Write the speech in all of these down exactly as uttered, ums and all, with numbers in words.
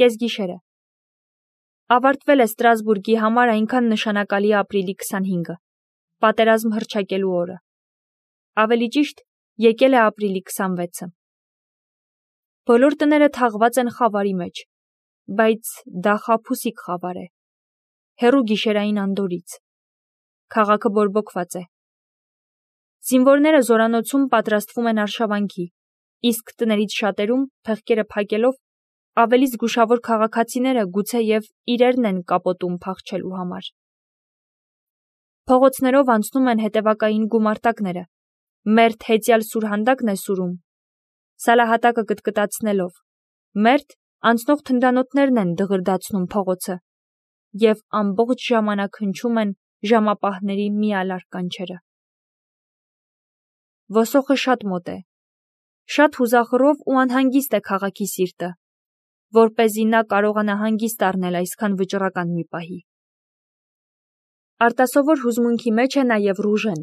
Կեսգիշերը։ Ավարտվել է Ստրասբուրգի համար այնքան նշանակալի ապրիլի քսանհինգը, պատերազմ հռչակելու օրը։ Ավելի ճիշտ, եկել է ապրիլի քսանվեցը։ Բոլոր տները թաղված են խավարի մեջ, բայց դա խաբուսիկ խավար է, հեռու գիշերային անդորից։ Քաղաքը բորբոքված է։ Զինվորները զորանոցում պատրաստվում են արշավանքի, իսկ տներից շատերում, փեղկերը փակելով, ավելի զգուշավոր քաղաքացիները գուցե և իրերն են կապոտում փախչելու համար։ Փողոցներով անցնում են հետևակային գումարտակները, մերթ հեծյալ սուրհանդակն է սուրում, սալահատակը կտկտացնելով, մերթ անցնող թնդանոթներն են դղրդացնում փողոցը և ամբողջ ժամանակ հնչում են ժամապահների միալար կանչերը։ Ոսոխը շատ մոտ է, շատ հուզախռով ու անհանգիստ է քաղաքի սիրտը, որպեսզի նա կարողանա հանգիստ առնել այսքան վճռական մի պահի։ Արտասովոր հուզմունքի մեջ է նաև Ռուժեն,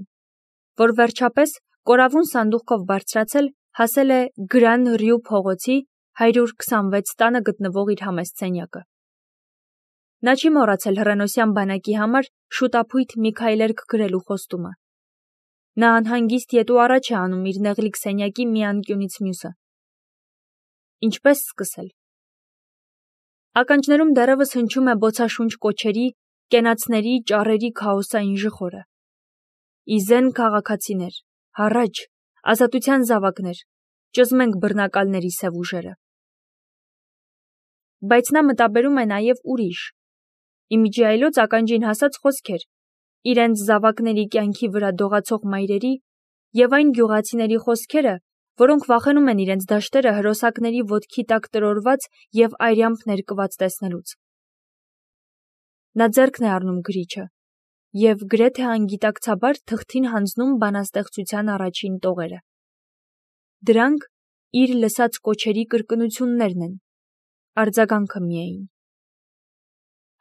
որ վերջապես կորավուն սանդուղքով բարձրացել հասել է Գրան Ռյու փողոցի հարյուր քսանվեց տանը գտնվող իր համեստ սենյակը։ Նա չի մոռացել հռենոսյան բանակի համար շուտափույթ մի քայլերգ գրելու խոստումը։ Նա անհանգիստ ետ ու առաջ է անում իր նեղլիկ սենյակի մի անկյունից մյուսը։ Ինչպես սկսել։ Ականջներում դեռևս հնչում է բոցաշունչ կոչերի, կենացների, ճառերի քաոսային ժխորը։ Իզեն քաղաքացիներ, հառաջ, ազատության զավակներ, ճզմենք բռնակալների սև ուժերը։ Բայց նա մտաբերում է նաև ուրիշ, իմիջի այլոց ականջին հասած խոսքեր, իրենց զավակների կյանքի վրա դողացող մայրերի և այն գյուղացիների խոսքերը, որոնք վախենում են իրենց դաշտերը հրոսակների ոտքի տակ տրորված և այրամփ ներկված տեսնելուց։ Նա ձեռքն է առնում գրիչը և գրեթե անգիտակցաբար թղթին հանձնում բանաստեղծության առաջին տողերը։ Դրանք իր լսած կոչերի կրկնություններն են, արձագանքը միայն։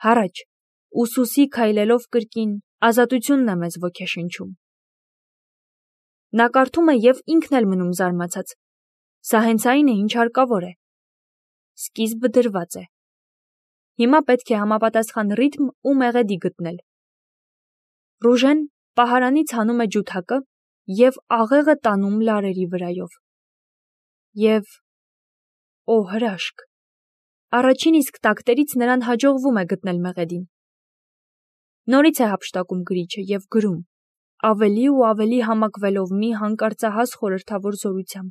Հառաջ, ուսուսի քայլելով կրկին, ազատությունն է մեզ ոգեշնչում։ Նա կարդում է և ինքն էլ մնում զարմացած։ Սա հենց այն է, ինչ հարկավոր է։ Սկիզբը դրված է։ Հիմա պետք է համապատասխան ռիթմ ու մեղեդի գտնել։ Ռուժեն պահարանից հանում է ջութակը և աղեղը տանում լարերի վրայով։ Եվ, օ հրաշք, առաջին իսկ տակտերից նրան հաջողվում է գտնել մեղեդին։ Նորից է հափշտակում գրիչը և գրում, ավելի ու ավելի համակվելով մի հանկարծահաս խորհրդավոր զորությամբ։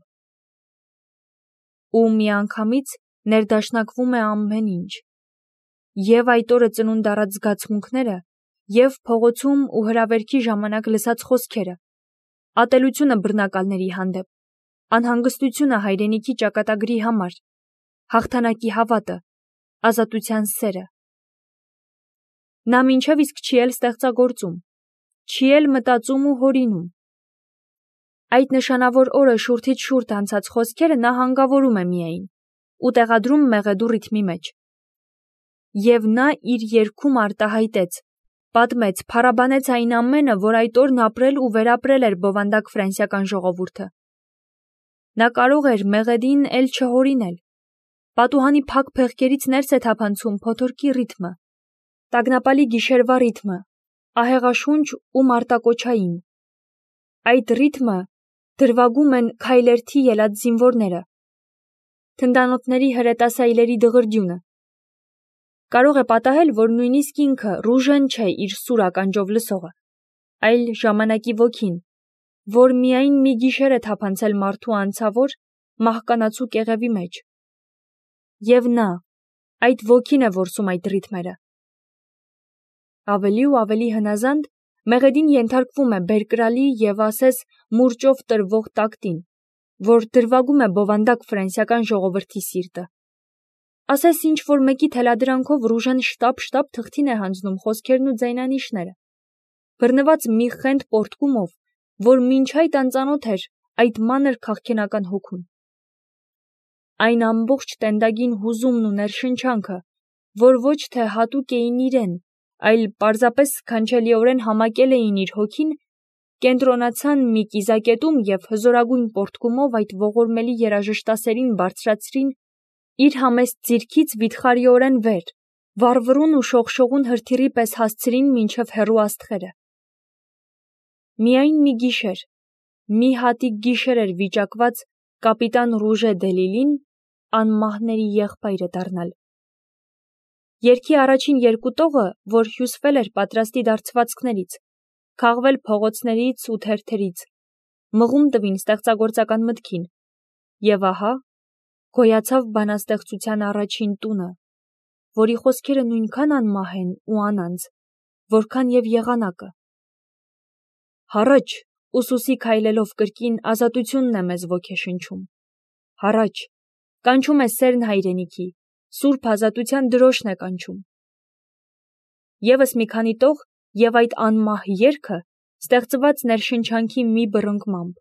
Ու միանգամից ներդաշնակվում է ամեն ինչ։ Եվ այդ օրը ծնունդ առած զգացմունքները, և փողոցում ու հրավերքի ժամանակ լսած խոսքերը, ատելությունը բռնակալների հանդեպ, անհանգստությունը հայրենիքի ճակատագրի համար, հաղթանակի հավատը, ազատության սերը։ Նա մինչև իսկ չի էլ ստեղծագործում, չի էլ մտածում ու հորինում։ Այդ նշանավոր օրը շուրթից շուրթ անցած խոսքերը նա հանգավորում է միայն ու տեղադրում մեղեդու ռիթմի մեջ։ Եվ նա իր երգում արտահայտեց, պատմեց, փառաբանեց այն ամենը, որ այդ օրն ապրել ու վերապրել էր բովանդակ ֆրանսիական ժողովուրդը։ Նա կարող էր մեղեդին էլ չհորինել։ Պատուհանի փակ փեղկերից ներս է թափանցում փոթորկի ռիթմը, տագնապալի գիշերվա ռիթմը, ահեղաշունչ ու մարտակոչային։ Այդ ռիթմը դրվագում են քայլերթի ելած զինվորները, թնդանոթների հրետասայլերի դղրդյունը։ Կարող է պատահել, որ նույնիսկ ինքը Ռուժեն չէ իր սուր ականջով լսողը, այլ ժամանակի ոգին, որ միայն մի գիշեր է թափանցել մարդու անցավոր, մահկանացու կեղևի մեջ։ Եվ նա, այդ ոգին է որսում այդ ռիթմերը։ Ավելի ու ավելի հնազանդ մեղեդին ենթարկվում է բերկրալի և ասես մուրճով տրվող տակտին, որ դրվագում է բովանդակ ֆրանսիական ժողովրդի սիրտը։ Ասես ինչ-որ մեկի թելադրանքով Ռուժեն շտապ-շտապ թղթին է հանձնում խոսքերն ու ձայնանիշները, բռնված մի խենթ պոռթկումով, որ մինչ այդ անծանոթ էր այդ մանր քաղքենական հոգուն։ Այն ամբողջ տենդագին հուզումն ու ներշնչանքը, որ ոչ թե հատուկ էին իրեն, այլ պարզապես սքանչելիորեն համակել էին իր հոգին, կենտրոնացան մի կիզակետում և հզորագույն պոռթկումով այդ ողորմելի երաժշտասերին բարձրացրին իր համեստ ձիրքից վիթխարիորեն վեր, վառվռուն ու շողշողուն հրթիռի պես հասցրին մինչև հեռու աստղերը։ Միայն մի գիշեր, մի հատիկ գիշեր էր վիճակված կապիտան Ռուժե Դելիլին անմահների եղբայրը դառնալ։ Երգի առաջին երկու տողը, որ հյուսվել էր պատրաստի դարձվածքներից, քաղվել փողոցներից ու թերթերից, մղում տվին ստեղծագործական մտքին, և ահա գոյացավ բանաստեղծության առաջին տունը, որի խոսքերը նույնքան անմահ են ու անանձ, որքան և եղանակը։ Հառաչ, ուսուսի քայլելով կրկին ազատությունն է մեզ ոգեշնչում, հառաչ, կանչում է սերն հայրենիքի, սուրբ ազատության դրոշն է կանչում։ Եվս մի քանի տող և այդ անմահ երգը ստեղծված ներշնչանքի մի բռնկմամբ,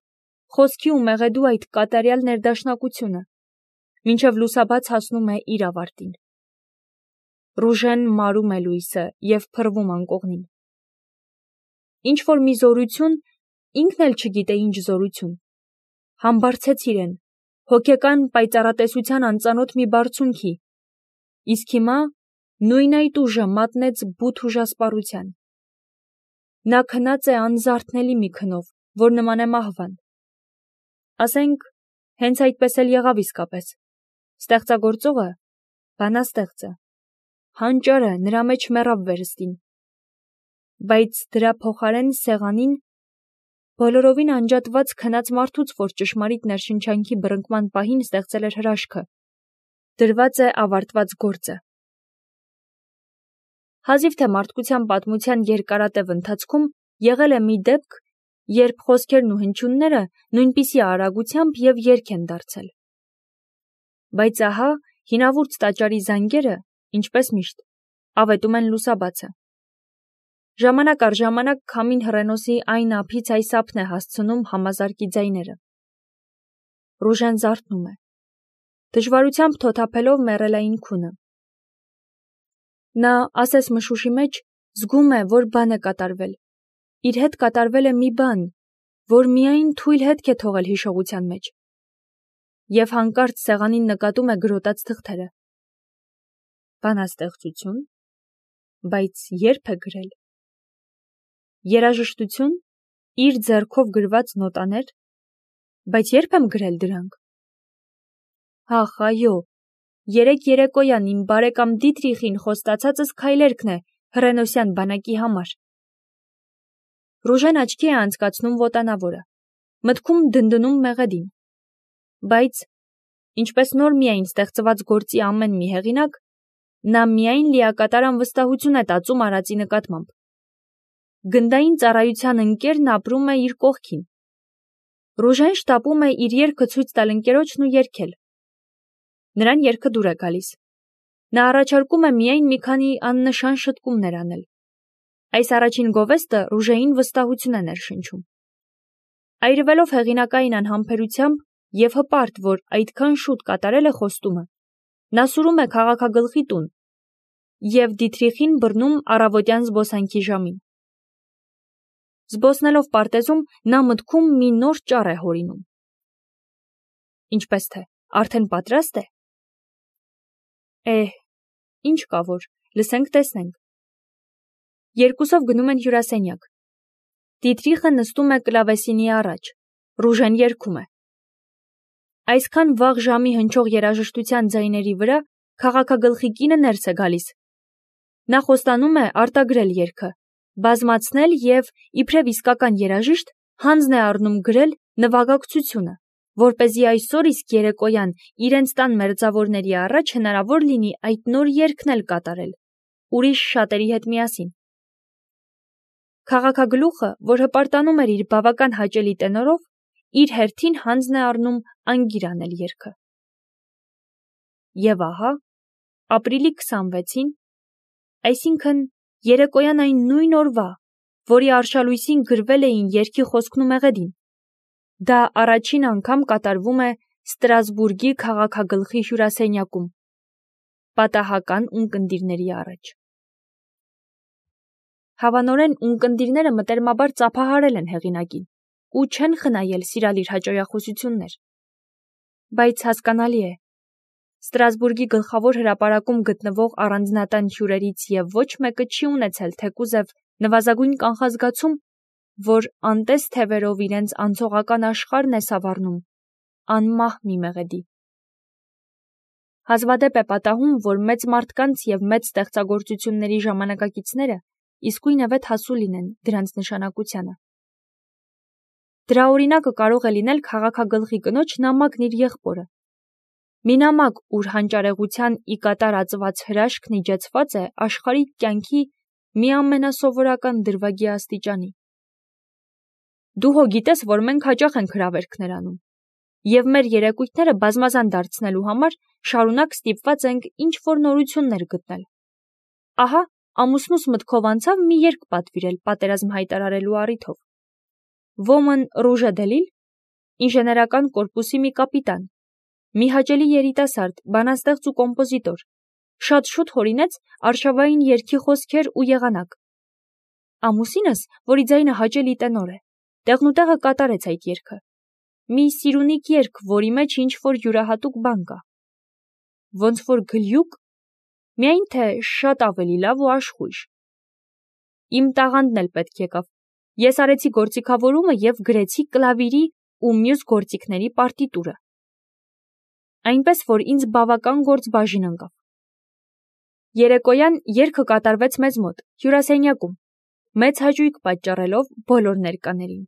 խոսքի ու մեղեդու այդ կատարյալ ներդաշնակությունը, մինչև լուսաբաց հասնում է իր ավարտին։ Ռուժեն մարում է լույսը և փռվում անկողնին։ Ինչ-որ մի զորություն, ինքն էլ չգիտե ինչ զորություն, համբարձեց իրեն, հոգեկան պայծառատեսության անծանոթ մի բարձունքի, իսկ հիմա նույն այդ ուժը մատնեց բութ ուժասպառության։ Նա քնած է անզարթնելի մի քնով, որ նման է մահվան։ Ասենք, հենց այդպես էլ եղավ իսկապես։ Ստեղծագործողը, բանաստեղծը, հանճարը նրա մեջ մեռավ վերստին, բայց դրա փոխարեն սեղանին բոլորովին անջատված քնած մարդուց, որ ճշմարիտ ներշնչանքի բռնկման պահին ստեղծել էր հրաշքը, դրված է ավարտված գործը։ Հազիվ թե մարդկության պատմության երկարատև ընթացքում եղել է մի դեպք, երբ խոսքերն ու հնչյունները նույնպիսի արագությամբ և երգ են դարձել։ Բայց ահա հինավուրց տաճարի զանգերը, ինչպես միշտ, ավետում են լուսաբացը։ Ժամանակ առ ժամանակ քամին հռենոսի այն ափից այս ափն է հասցնում համազարկի ձայները։ Ռուժեն զարթնում է, դժվարությամբ թոթափելով մեռելային քունը։ Նա ասես մշուշի մեջ զգում է, որ բան է կատարվել, իր հետ կատարվել է մի բան, որ միայն թույլ հետք է թողել հիշողության մեջ, և հանկարծ սեղանին նկատում է գրոտած թղթերը։ Բանաստեղծություն, բայց ե՞րբ է գրել։ Երաժշտություն, իր ձեռքով գրված նոտաներ, բայց ե՞րբ եմ գրել դրանք։ Ահ, այո, երեկ երեկոյան իմ բարեկամ Դիտրիխին խոստացածս քայլերքն է հռենոսյան բանակի համար։ Ռուժեն աչքի է անցկացնում ոտանավորը, մտքում դնդնում մեղեդին։ Բայց, ինչպես նոր միայն ստեղծված գործի ամեն մի հեղինակ, նա միայն լիակատար անվստահություն է տածում արածի նկատմամբ։ Գնդային ծառայության ընկերն ապրում է իր կողքին։ Ռուժեն շտապում է իր երգը ցույց տալ ընկերոջն ու երգել։ Նրան երգը դուր է գալիս։ Նա առաջարկում է միայն մի քանի աննշան շտկումներ անել։ Այս առաջին գովեստը Ռուժեին վստահություն է ներշնչում։ Այրվելով հեղինակային անհամբերությամբ և հպարտ, որ այդքան շուտ կատարել է խոստումը, նա սուրում է քաղաքագլխի տուն և Դիտրիխին բռնում առավոտյան զբոսանքի ժամին։ Զբոսնելով պարտեզում, նա մտքում մի նոր ճառ է հորինում։ Ինչպես թե, արդեն պատրաստ է։ Էհ, ինչ կա որ, լսենք տեսնենք։ Երկուսով գնում են հյուրասենյակ։ Դիտրիխը նստում է կլավեսինի առաջ, Ռուժեն երգում է։ Այսքան վաղ ժամի հնչող երաժշտության ձայների վրա քաղաքագլխի կինը ներս է գալիս։ Նա խոստանում է արտագրել երգը, բազմացնել և, իբրև իսկական երաժիշտ, հանձն է առնում գրել նվագակցությունը, որպեսզի այսօր իսկ երեկոյան իրենց տան մերձավորների առաջ հնարավոր լինի այդ նոր երգն էլ կատարել, ուրիշ շատերի հետ միասին։ Քաղաքագլուխը, որ հպարտանում էր իր բավական հաճելի տենորով, իր հերթին հանձն է առնում անգիր անել երգը։ Եվ ահա, ապրիլի քսանվեցին, այսինքն երեկոյան այն նույն օրվա, որի արշալույսին գրվել էին երգի խոսքն ու մեղեդին, դա առաջին անգամ կատարվում է Ստրասբուրգի քաղաքագլխի հյուրասենյակում, պատահական ունկնդիրների առաջ։ Հավանորեն ունկնդիրները մտերմաբար ծափահարել են հեղինակին ու չեն խնայել սիրալ իր հաճոյախոսություններ։ Բայց հասկանալի է, Ստրասբուրգի գլխավոր հրապարակում գտնվող առանձնատան հյուրերից և ոչ մեկը չի ունեցել թեկուզև նվազագույն կանխազգացում, որ անտես թևերով իրենց անցողական աշխարհն է սավառնում, անմահ մի մեղեդի։ Հազվադեպ է պատահում, որ մեծ մարդկանց և մեծ ստեղծագործությունների ժամանակակիցները իսկույնևեթ հասու լինեն դրանց նշանակությանը։ Դրա օրինակը կարող է լինել քաղաքագլխի կնոջ նամակն իր եղբորը։ Մի նամակ, ուր հանճարեղության ի կատար ածված հրաշքն իջեցված է աշխարհիկ կյանքի մի ամենասովորական դրվագի աստիճանի։ Դու հո գիտես, որ մենք հաճախ ենք հրավերքներ անում, և մեր երեկույթները բազմազան դարձնելու համար շարունակ ստիպված ենք ինչ-որ նորություններ գտնել։ Ահա, ամուսնուս մտքով անցավ մի երգ պատվիրել պատերազմ հայտարարելու առիթով։ Ոմն Ռուժե դե Լիլ, ինժեներական կորպուսի մի կապիտան, մի հաճելի երիտասարդ, բանաստեղծ ու կոմպոզիտոր, շատ շուտ հորինեց արշավային երգի խոսքեր ու եղանակ։ Ամուսինս, որի ձայնը հաճելի տենոր է, տեղնուտեղը կատարեց այդ երգը։ Մի սիրունիկ երգ, որի մեջ ինչ-որ յուրահատուկ բան կա։ Ոնց որ գլյուկ, միայն թե շատ ավելի լավ ու աշխույժ։ Իմ տաղանդն էլ պետք եկավ։ Ես արեցի գործիքավորումը և գրեցի կլավիրի ու մյուս գործիքների պարտիտուրը։ Այնպես որ ինձ բավական գործ բաժին ընկավ։ Երեկոյան երգը կատարվեց մեզ մոտ, հյուրասենյակում, մեծ հաճույք պատճառելով բոլոր ներկաներին։